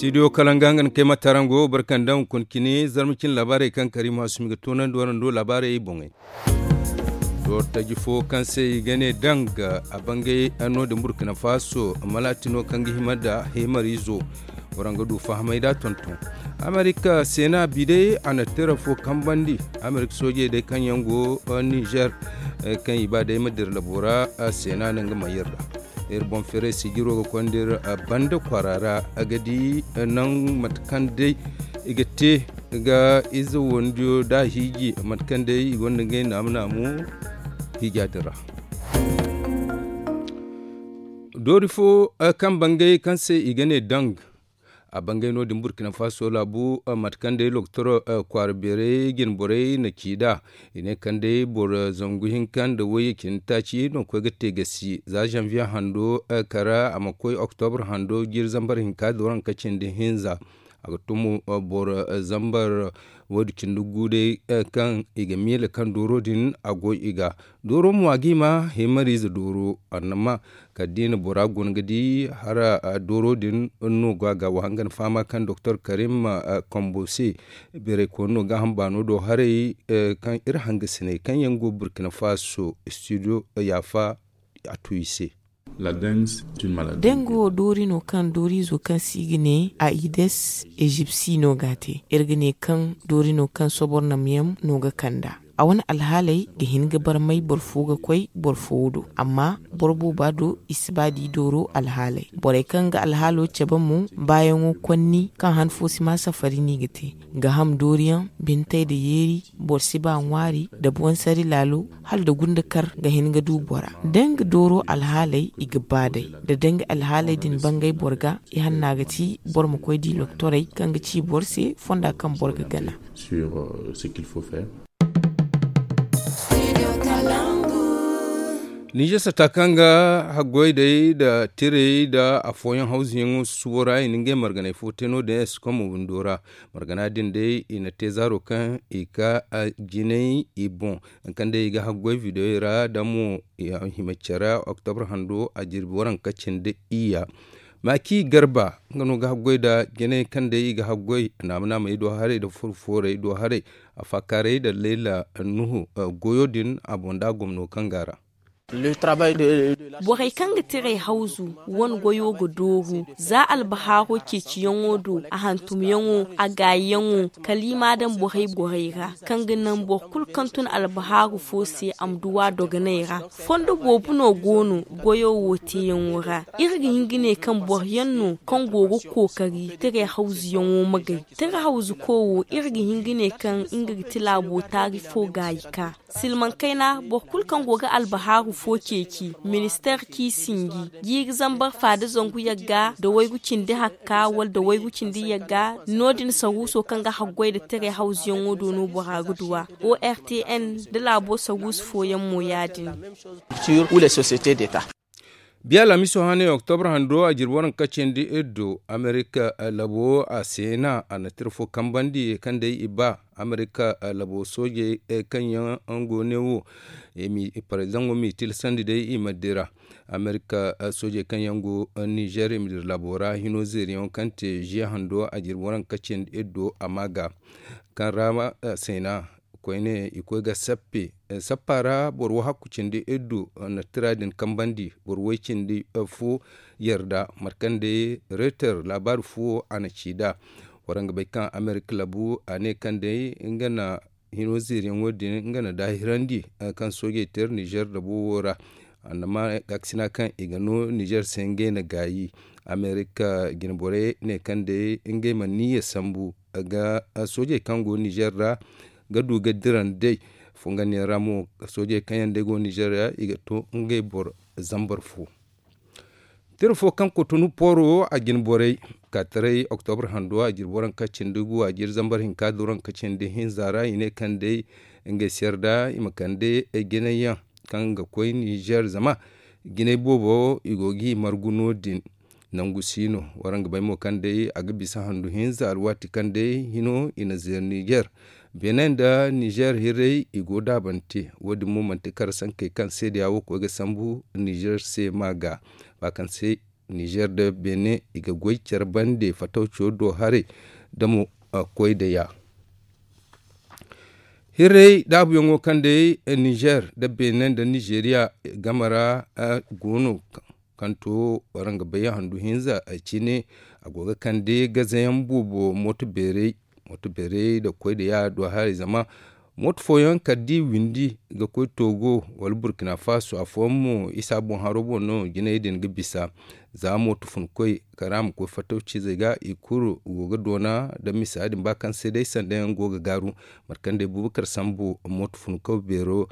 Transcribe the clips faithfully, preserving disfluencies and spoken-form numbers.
Studio kalanga nga na kay ma tarango barkanda hunkuna cine zarma cine laabaarey kaŋ kariima hasumi ga toonandi warando laabaarey boŋey. Doori taji fo kaŋ se i ga ne danga a bangay no din burkina faso malaati no kaŋ ga hima nda heemariizo. Waraŋ ga du fahamay da tonton amerika seena bi day a na tira fo kambandi. Amerika soojey day kaŋ yaŋ go nizer kaŋ i ba day ma dira labo ra seena no nga ma yar da. Iri boŋ feeray sijiro ga konda iri banda kwaara ra a ga di naŋ mate kaŋ day i ga te ga ize wandiyo da a hiiji mate kaŋ day i gonda ngey naamu naamu hiija din ra. Doori fo kaŋ bangay kaŋ se i ga ne dang a bangay no- din burkina faso laabu mate kaŋ day loktor kwaara beeray jine borey na ci nd'a. I ne kaŋ day boro zangu hinka nda wayye cindi taaci no ga koy ga te gasi za zanviye hando kara a ma koy oktobre hando jiiri zambar hinka dooranka cindi hinza. A ga tumu boro zambar waydu cindi gu day kaŋ i ga miila kaŋ dooro din a goy i ga. Dooro mo a ga i ma heemariize dooro annama kala da i na bora guna ga di hara dooro din no go a ga wa hanga ni fahama kaŋ doktor karim kombo se. Beeray kooni no gaaham baano do haray kaŋ iri hangasiney kaŋ yaŋ go burkina faso studio yaafa a tu i se. Dango doori no kaŋ dooriizo kaŋ se i ga ne a ides egypti no ga a te iri ga ne kaŋ doori no kaŋ sobor nam yaŋ no ga kand'a. A wane alhaaley ga hin ga barmay boro fo ga koy boro fo wo do amma boro booba do i si ba di dooro alhaaley borey kaŋ ga alhaalo cabe mo baayaŋo konni kaŋ han fo si ma safari no i ga te. Ga ham dooriyaŋ bintey nda yeeri boro si ba ŋwaari nda boŋ sari laalo hala nda gunda kar ga hin ga du bora. Da nga dooro alhaaley i ga ba day nda da nga alhaaley din bangay boro ga i hanna ga ti boro ma koy di loktorey kaŋ ga ci boro se fonda kaŋ boro ga gana. Ninze sata kaŋ ga haggoy day nda tirey nda afooyaŋ hawzuyaŋo susubo ra i na ngey marganay fo te no- din eskom windo ra. Margana din day i na te zaaro kaŋ i ka jinay i boŋ. Kaŋ day i ga haggoy videoyey ra da mo hima care oktobre hando a jirbi waranka cindi iyya. Maaki garba nga no ga haggoy nda jinay kaŋ day i ga haggoy naama naamey do haray nda furo foorey do haray. Afaakaaray nda layla nuhu goyo din a boŋ nda a gomno kaŋ go a ra. Borey kaŋ ga tiray hawzu wane goyo ga dooru za albahaaro ceeciyaŋo do a hantumyaŋo a gaayiyaŋo kala i m'a daŋ borey borey ra kaŋ ga naŋ boro kulu kaŋ tun albahaaru fo se a ma duw'a dogonay ra. Fondo boobo no go no goyo wo teeyaŋo ra. Iri ga hin ga ne kaŋ boro yaŋ no kaŋ go ga kookari tiray hawzuyaŋo magay. Tiray hawzuko wo iri ga hin ga ne kaŋ nga ga ti laabo taari fo gaayi ka silmaŋ kayna boro kulu kaŋ go ga albahaaru fo ceeci ministeer k'i sinji jiiri zambar faada zangu yagga nda waygu cindi hakka wala nda waygu cindi yagga. No- din saruuso kaŋ ga haggoy nda tiray hawzuyaŋo do no bora ga duw'a. Ortn nda laabo saruusu fooyaŋ mo ya- din. Biya laamiso hane oktobre hando a jirbi waranka cindi iri do amerika labo a seena a na tira fo kambandi kaŋ day i ba amerika labo soojey kaŋ yaŋ go ne wo. Parezidaŋo m'i tilasandi day i ma dira amerika soojey kaŋ yaŋ go nizer i ma dira labo ra hino zeeriyaŋo kaŋ te ziya hando a jirbi waranka cindi iri do a ma ga kaŋ ra seena koyne i koy ga sappe sappa ra boro wo hakku cindi iddu na tira din kambandi boro way cindi fo yarda mate kaŋ day reter laabaari fo a na ci nd'a. Waraŋ ga bay kaŋ amerika labu a ne kaŋ day nga na hino zeeriyaŋo din nga na daahirandi kaŋ soojey teer nizer da bowo ra. Annama gaakasina kaŋ i ga no nizer se ngey na gaayi amerika jine borey ne kaŋ day ngey mana niyya sambu ga soojey kaŋ go nizer ra ga du ga dira nd'ey. Fongandiyaŋ ra mo soojey kaŋ yaŋ day go nizer ra i ga to ngey boro zambar fo. Tira fo kaŋ kotonu pooro a jine borey ka taray oktobre hando a jine boro kaŋ cindi gu a jine zambar hinka doro kaŋ cindi hinza ra i ne kaŋ day ngey se yarda i ma kande jinay yaŋ kaŋ ga koy nizer zama jinay boobo i go ga i margu no- din. Nangu si no waraŋ ga bay mo kaŋ day a ga bisa handu hinza alwaati kaŋ day hino i na zeeri nizer. Benin nda nizer hirray i go daabante wo- din mo manti kara sankey kaŋ seedeya wo koy ga sambu nizer se ma ga ba kaŋ se Nizer nda benin i ga goy care bande fatawco do haray da mo koy da ya. Hirray daabuyaŋo kaŋ day nizer nda benin nda nizeriya game ra go no, kaŋ to waraŋ ga bay handu hinza cine, a go ga kande gazayaŋ boobo mooto beeray. Mooto beeray nda koy da ya do haray zama mooto fooyaŋ kala da i windi ga koy togo wala burkina faso afooyaŋ mo isa boŋ haro boŋ no jinay din ga bisa. Za mooto fun koy kala a ma koy fattawcizey ga i kulu go ga doona nda misa din ba kaŋ se day sanda yaŋ go ga gaaru. Mate kaŋ day bubakar sambu mooto fun kaw beero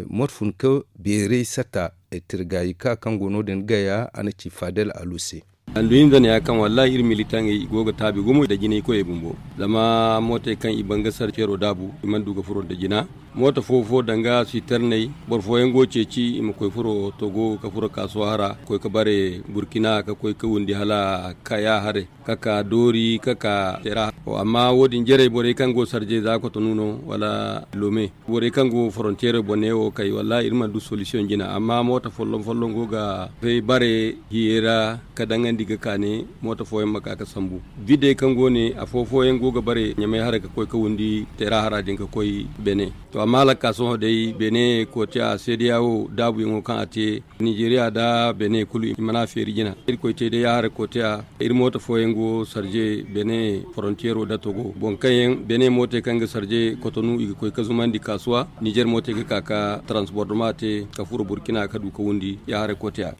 mooto fun kaw beeray sata tirgayi ka kaŋ go no din gaya a na ci fadel alu se. Handu hinza ne ya kaŋ wallahi iri militaŋey i go ga taabi gumo nda jinay koyey bumbo. Zama mootey kaŋ i ban ga sara ceero daabu i mana du ga furo nda jina. Mooto fo fo danga siterney boro fooyaŋ go ga ceeci i ma koy furo togo ga furo kaasuwa hara ga koy ga bare burkina ga koy ga windi hala kaya haray, ga ka doori ga ka tera. Amma wo- din jarey borey kaŋ go sarjey za kotonu no wala lome, borey kaŋ go forontiyeero bone wo kay wallahi iri mana du solisiyoŋ jina amma mooto folloŋ folloŋ go ga bay bare hiyey ra ga daŋandi ga ka ne mooto fooyaŋ ma ka ga sambu. Bidey kaŋ go ne afo fooyaŋ go ga bare ɲamay haray ga koy ga windi tera hara din ga koy bene. To amma hala ga ka sohõ day bene kootiya seedeya wo daabuyaŋo kaŋ a te nizeriya nda bene kulu i mana a feeri jina. Irkoy te day ya haray kootiya iri mooto fooyaŋ go sarje bene forontiyeero nda togo boŋ kaŋ yaŋ bene mootey kaŋ ga sarje kotonu i ga koy ga zumandi kaasuwa nizer mootey ga ka ga taransbordoma te ga furo burkina ga du ga wundi ya haray kootiya.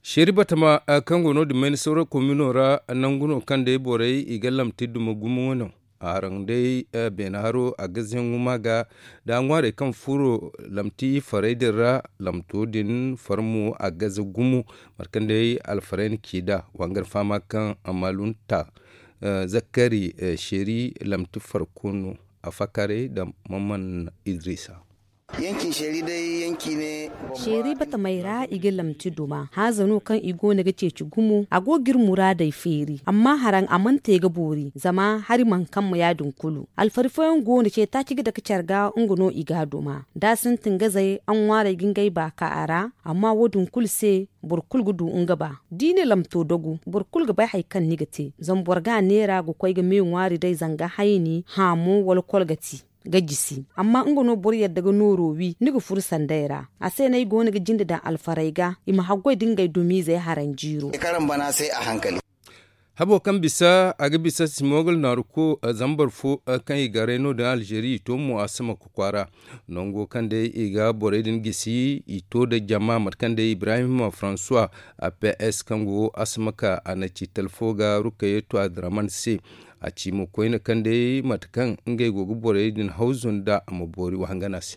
Seeri batama kaŋ go no- din mayni sawra komino ra nangu no kaŋ day borey i ga lamti duma gumo no. Haraŋ day beene haro a gaze yaŋ ŋuma ga da ŋwaarey kaŋ furo lamti farey din ra. Lamto din farmo a gaze gumo mate kaŋ day alfarayna ci da wangar fama kaŋ malunta zakari seeri lamti farko no. A fakaray da mamman idrisa. Seeri batamey ra i ga lamti duma haaza no kaŋ i go no ga ceeci gumo a go ga iri muraadey feeri amma haraŋ a mana te ga boori zama hari mana kamma ya- din kulu. Alfari fooyaŋ go no ce taaci ga dake care ga nga no i ga a duma da a sintin gazey a ŋwaarey ga ngey baaka a ra. Amma wo- din kulu se boro kulu ga du nga ba da i na lamto dagu boro kulu ga bay hari kaŋ ni ga te zama boro ga a neera ga koy ga me ŋwaari day zanga hayni haamo wala kolgati ga jisi. Amma nga no boro yadda ga nooro wi ni ga furu sanday ra. A se no ay go no ga jinde daŋ alfarey ga i ma haggoy da ngey dumiizey haraŋ jiiro. Habo kaŋ bisa a ga bisa simogol naaruko zambar fo kaŋ i garay no-din alzeeri i to mo a sama ga kwaara. Nango kaŋ day i ga borey din gisi i to da jama mate kaŋ day ibrahim francois a ps kaŋ go a sama ka a na ci talfo ga rukayeto adraman se. A ci mo koyne kaŋ day mate kaŋ ngey go ga borey din hawzu nda a ma boori wahangana se.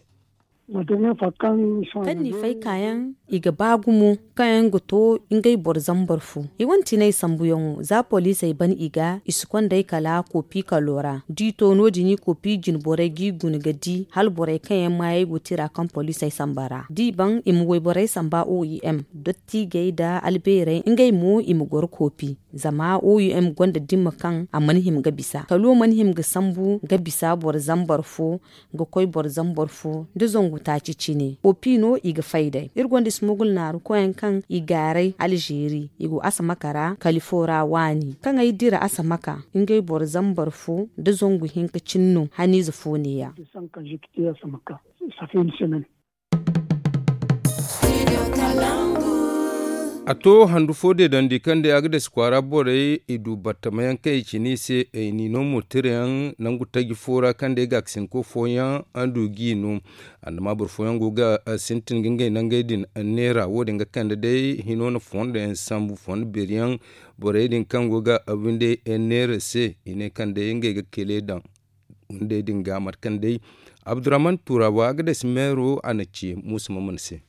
Kaŋ ni fay kaayaŋ i ga ba gumo kaŋ yaŋ ga to ngey boro zambar fo. I wane tinay sambuyaŋo za poliisey ban i ga i si konda ay kala koopi kalo ra da i to no- din i koopi jine borey ga i guna ga di hala borey kaŋ yaŋ maayey go tira kaŋ poliisey samba ra da i ban i ma wayborey samba oim. Dottijey nda albeerey ngey mo i ma goro koopi. Zama oim gonda dimma kaŋ a mana hima ga bisa kalo mana hima ga sambu ga bisa boro zambar fo ga koy boro zambar fo nda zangu taaci cine koopi no i ga fay day. Iri gonda ismugul naaru koyaŋ kaŋ i gaaray alzeeri i go asamaka ra kali fo ra waani kaŋ ay dira asamaka ngey boro zambar fo nda zangu hinka cine no haniize fo neeya. A to handu fo deedandi kaŋ day a ga dasi kwaara borey i du battamayaŋ kaŋ i cine i se i n'i no mo tirayaŋ nangu taji fo ra kaŋ day gaakasinko fooyaŋ a du g'i no. Andama boro fooyaŋ go ga sintin ga ngey nangey din neera wo- din ga kande day hino na fondo yaŋ sambu fondo beeri yaŋ. Borey din kaŋ go ga windey neera se i ne kaŋ day ngey ga kele daŋ windey din ga mate kaŋ day abdurrahman turawa ga dasi meero a na ci muusa mamman se.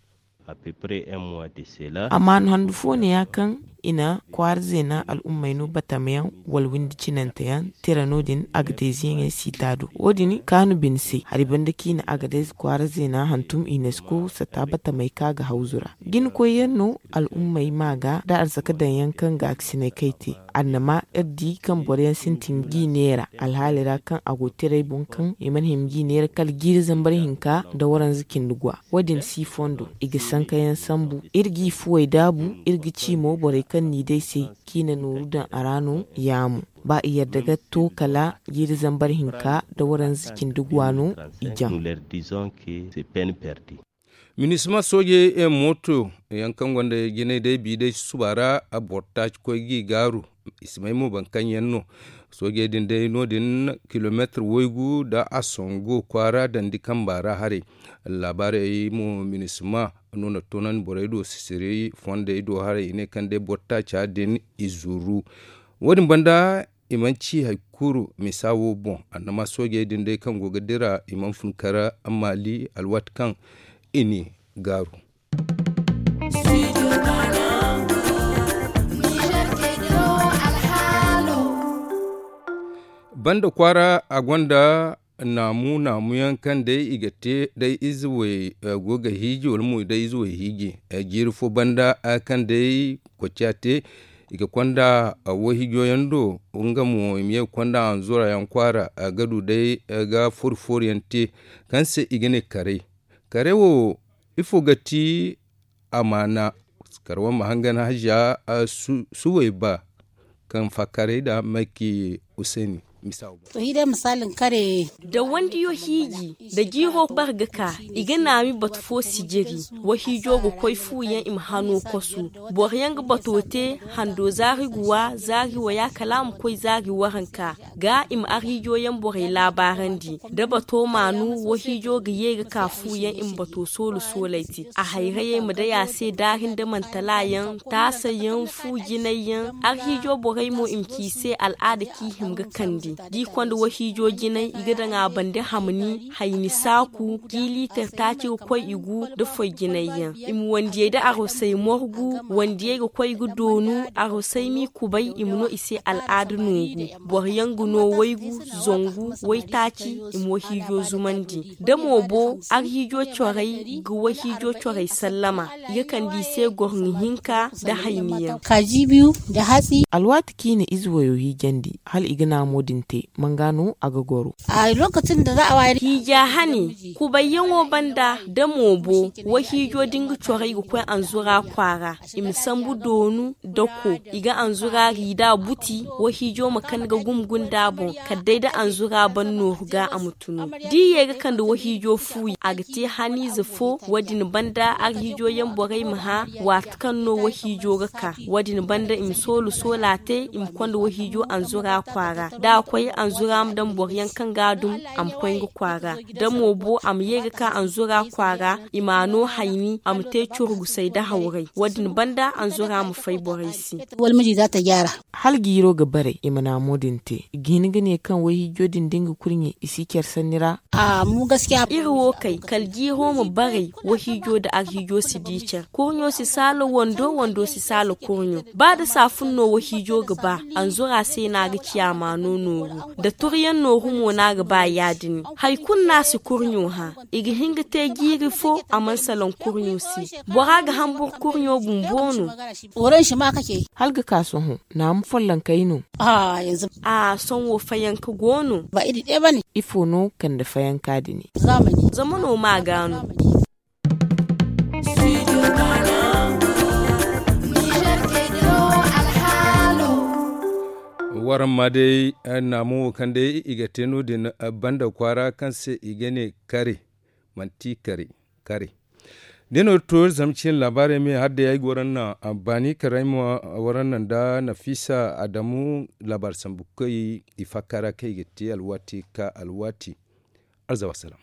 Amma handu fo ne ya kaŋ i na kwaara zeena al'ummey no batamayaŋ wala windi cinante yaŋ tira no- din agadayze yaŋey siita do. Wo- din kaanu bine se hari banda kaŋ i na agadayze kwaara zeena hantum unesco sata batamey kaŋ a ga hawzu ra. Jinakoy yaŋ no al'ummey ma ga nda arzaka daŋ yaŋ kaŋ gaakasiney kaŋ ay te. Annama iri di kaŋ boro yaŋ sintin g'i neera alhaali ra kaŋ a go tiray boŋ kaŋ i mana hima g'i neera kala jiiri zambar hinka nda waranza cindi gwa. Wo- din si fondo i ga sanka yaŋ sambu. Iri g'i fuwey daabu. Iri ga ci mo borey kaŋ n'i day se kaŋ i na nooru daŋ a ra no yaamo. Ba i yadda ga to kala jiiri zambar hinka nda waranza cindi gwa no i jaŋ. Minisma soojey mooto yaŋ kaŋ gonda jinay day bi day susuba ra boro taaci koy g'i gaaru. I si may mo boro kaŋ yaŋ no soojey din day no- din kilomeetir waygu nda a sango kwaara dandi kamba ra haray. Laabaarey mo minisma no na toonandi borey do sisiri fondey do haray i ne kaŋ day boro taaca din i zuru. Wo- din banda i mana ci hari kulu misa wo boŋ. Annama soojey din day kaŋ go ga dira i mana fun kar maali alwaati kaŋ i n'i gaaru. Banda kwaara a gonda naamu naamu yaŋ kaŋ day i ga te day ize way go ga hiiji wala mo day ize way hiiji. Jiiri fo banda kaŋ day koociya te i ga konda wayhiijo yaŋ do. Nga mo i ma ye ga konda anzura yaŋ kwaara ga du day ga fori fori yaŋ te kaŋ se i ga ne karay. Karay wo ifo ga ti amaana? Kar wane ma hangan haja suway ba kaŋ fakkaray nda mayki useni. Misa wo boŋ. To hi day misalin kare. Da wandiyo hiiji da jiiro bar ga ka i ga naami batu fo sijiri. Wahiijo ga koy fu yaŋ i ma hano kosu. Boro yaŋ ga bato te hando zaari guwa zaari waya kala a ma koy zaari waranka ga i ma arhiijo yaŋ borey laabaarandi. Da bato maanu wahiijo ga ye ga ka fu yaŋ i ma bato soolu soolay te a hayrayey ma day a se daari nda mantala yaŋ taasa yaŋ fu jinay yaŋ. Arhiijo borey mo i ma ci i se al'aada kaŋ i hima ga kande da i konda wahiijo jinay i ga daŋ a bande hamni hayni saaku jiiliitar taaci ga koy i gu nda foy jinay yaŋ. I ma wandiyey nda arosey morgu wandiyey ga koy ga doonu. Arosey m'i kubay i ma no i se al'aada nooru. Boro yaŋ ga no waygu zangu waytaaci i ma wahiijo zumandi da mo bo arhiijo corey ga wahiijo corey sallama i ga kande i se gorŋo hinka nda hayni yaŋ. Alwaati kaŋ i na ize wayo hiijandi hala i ga naamo din te manga no a ga goro. Hiija hane kubayyaŋo banda da mo bo wahiijo da nga corey ga koy anzura kwaara i ma sambu doonu dako i ga anzura riida buti wahiijo ma kande ga gumgunda boŋ kala day da anzura ban nooru ga a ma tunu da i ye ga kande wahiijo fuuyi a ga te haniize fo. Wo- din banda arhiijo yaŋ borey ma hã waati kaŋ no wahiijo ga ka wo- din banda i ma soolu soola te i ma konda wahiijo anzura kwaara da a koy anzura ma daŋ boro yaŋ kaŋ ga a dum a ma koy nga kwaara da mo bo a ma ye ga ka anzura kwaara i m'a no hayni a ma te curgusay nda hawray wo- din banda anzura ma fay borey se. Hala jiiro ga baray i ma naamo din te i ga hin ga ne kaŋ wayhiijo din da nga kurɲe i si care sanni ra. Iri wo kay kala jiiro ma baray wahiijo nda arhiijo si di care kurɲo si saala wando wando si saala kurɲo ba da saafun no wahiijo ga ba anzura se no a ga ci a ma no nooru da turyaŋ nooru mo no a ga ba ya- din hari kulu no a si kurɲo hã i ga hin ga te jiiri fo a mana salaŋ kurɲo se bora ga hambur kurɲo bumbo no. Hala ga ka sohõ naamu follonkey no. A sohõ fayanka go no. Ifo no kande fayanka din? Zama no ma ga no. Waraŋ ma day naamu wo kaŋ day i ga te no- din banda kwaara kaŋ se i ga ne kare manti kare. Kare da no iri to iri zama ciine laabaarey me hala day ay ga waraŋ naŋ baani kala ay ma waraŋ naŋ nda nafiisa adamu laabaari sambu koy i fakka ra kaŋ i ga te alwaati ka alwaati. Alzawa salaam.